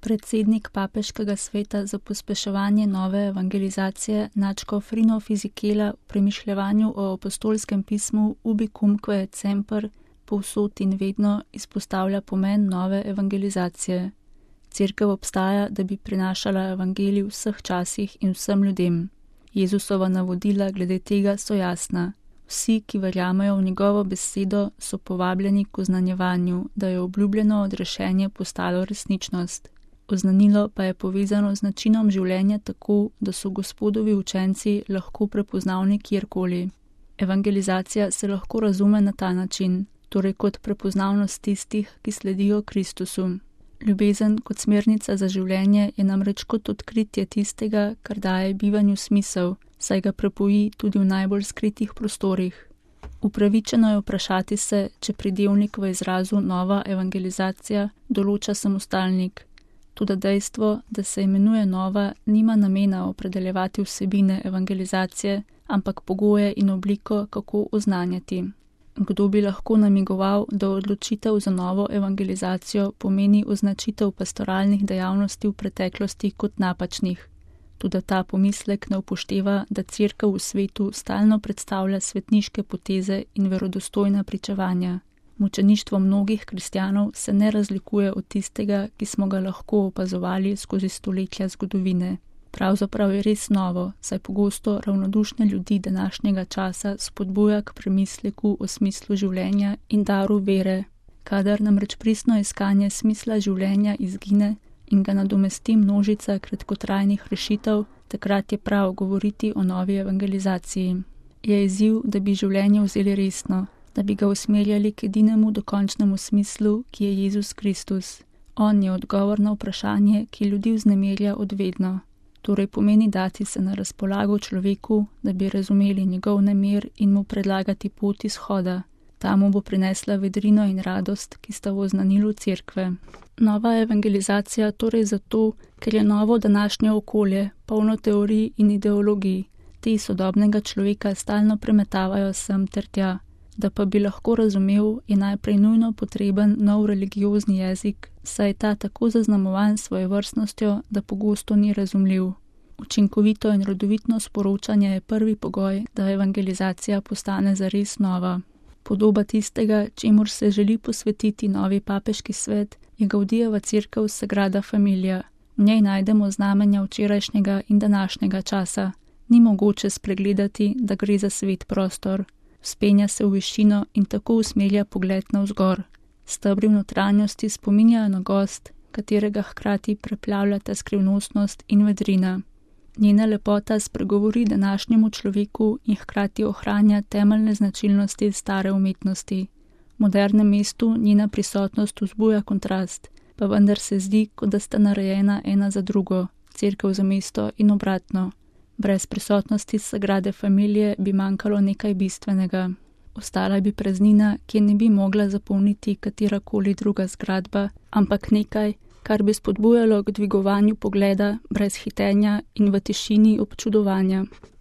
Predsednik Papeškega sveta za pospeševanje nove evangelizacije nadškof Rino Fisichella v premišljevanju o apostolskem pismu Ubicumque et semper, povsod in vedno izpostavlja pomen nove evangelizacije. Cerkev obstaja, da bi prinašala evangelij v vseh časih in vsem ljudem. Jezusova navodila glede tega so jasna. Vsi, ki verjamejo v njegovo besedo, so povabljeni k oznanjevanju, da je obljubljeno odrešenje postalo resničnost. Oznanilo pa je povezano z načinom življenja tako, da so Gospodovi učenci lahko prepoznavni kjerkoli. Evangelizacija se lahko razume na ta način, torej kot prepoznavnost tistih, ki sledijo Kristusu. Ljubezen kot smernica za življenje je namreč kot odkritje tistega, kar daje bivanju smisel, saj ga prepoji tudi v najbolj skritih prostorih. Upravičeno je vprašati se, če pridevnik v izrazu nova evangelizacija določa samostalnik. Toda dejstvo, da se imenuje nova, nima namena opredeljevati vsebine evangelizacije, ampak pogoje in obliko, kako oznanjati. Kdo bi lahko namigoval, da odločitev za novo evangelizacijo pomeni označitev pastoralnih dejavnosti v preteklosti kot napačnih. Toda ta pomislek ne upošteva, da Cerkev v svetu stalno predstavlja svetniške poteze in verodostojna pričevanja. Mučeništvo mnogih kristjanov se ne razlikuje od tistega, ki smo ga lahko opazovali skozi stoletja zgodovine. Pravzaprav je res novo, saj pogosto ravnodušne ljudi današnjega časa spodbuja k premisleku o smislu življenja in daru vere. Kadar namreč pristno iskanje smisla življenja izgine in ga nadomesti množica kratkotrajnih rešitev, takrat je prav govoriti o novi evangelizaciji. Je izziv, da bi življenje vzeli resno, da bi ga usmerjali k edinemu dokončnemu smislu, ki je Jezus Kristus. On je odgovor na vprašanje, ki ljudi vznemirja odvedno. Torej pomeni dati se na razpolago človeku, da bi razumeli njegov namer in mu predlagati pot izhoda. Ta mu bo prinesla vedrino in radost, ki sta v oznanilu Cerkve. Nova evangelizacija torej zato, ker je novo današnje okolje, polno teorij in ideologij. Te sodobnega človeka stalno premetavajo sem ter tja. Da pa bi lahko razumel, je najprej nujno potreben nov religiozni jezik, saj je ta tako zaznamovan svojevrstnostjo, da pogosto ni razumljiv. Učinkovito in rodovitno sporočanje je prvi pogoj, da evangelizacija postane zares nova. Podoba tistega, čemur se želi posvetiti novi papeški svet, je Gaudijeva cerkev Sagrada Familia. V njej najdemo znamenja včerajšnjega in današnjega časa. Ni mogoče spregledati, da gre za svet prostor. Vzpenja se v višino in tako usmerja pogled navzgor. Stebri v notranjosti spominjajo na gozd, katerega hkrati preplavljata skrivnostnost in vedrina. Njena lepota spregovori današnjemu človeku in hkrati ohranja temeljne značilnosti stare umetnosti. V modernem mestu njena prisotnost vzbuja kontrast, pa vendar se zdi, kot da sta narejena ena za drugo, cerkev za mesto in obratno. Brez prisotnosti Sagrade Familije bi manjkalo nekaj bistvenega. Ostala bi praznina, ki je ne bi mogla zapolniti katerakoli druga zgradba, ampak nekaj, kar bi spodbujalo k dvigovanju pogleda brez hitenja in v tišini občudovanja.